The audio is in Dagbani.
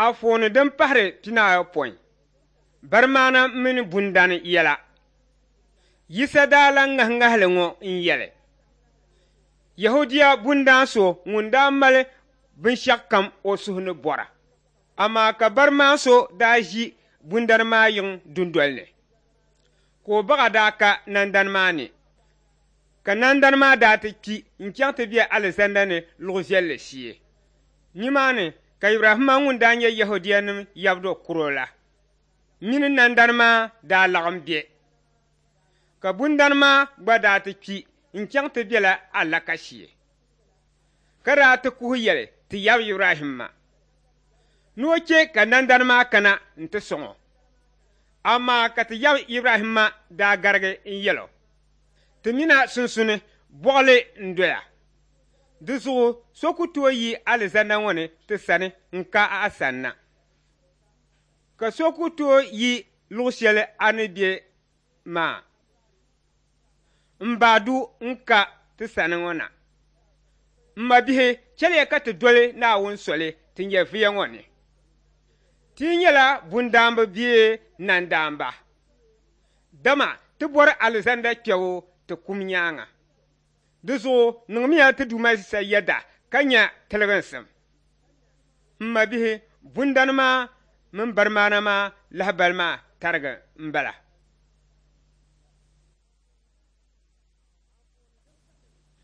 Anfooni din pahiri pinaayopɔin, Barimaana mini bundani yɛla. Yisa daa lan ŋahi ŋahili ŋɔ n-yɛli, Yɛhudia bundaan so ŋun daa mali binshɛɣukam o suhu ni bɔra, amaa ka barimaan so daa ʒi bundani maa yiŋ dundoli ni, ka o baɣa daa ka nandani maa ni, ka nandani maa daa ti kpi n-chaŋ ti be alizanda ni luɣ viɛlli shee. Nimaani ka Ibrahimma ŋun daa nyɛ Yɛhudianim yabdo kuro la mini nandani maa daa laɣim be. Ka bundani maa gba daa ti kpi n-chaŋ ti bela alaka shee, ka daa ti kuhi yɛli ti yab Ibrahimma ni o chɛ ka nandani maa kana nti sɔŋ o. Amaa ka ti yab Ibrahimma daa garigi n-yɛl o, Ti min a sunsuni bɔɣili n-doya. Di zuɣu so ku tooi yi alizanda ŋɔ ni ti sani n-ka a sanna, ka so ku tooi yi luɣ shɛli a ni be maa m-baai du n-ka ti sani ŋɔ na. M mabihi, chɛliya ka ti doli Naawuni soli ti nyɛviya ŋɔ ni. Ti yi nyɛla bundaamba bee nandaamba, dama ti bɔri alizanda kpɛbu ti kum nyaaŋa. Di zuɣu niŋmiya ti Duuma Yisa yɛda ka nya tiliginsim. M mabihi, bundani maa mini barimaana maa lahibali maa tarigi m-bala.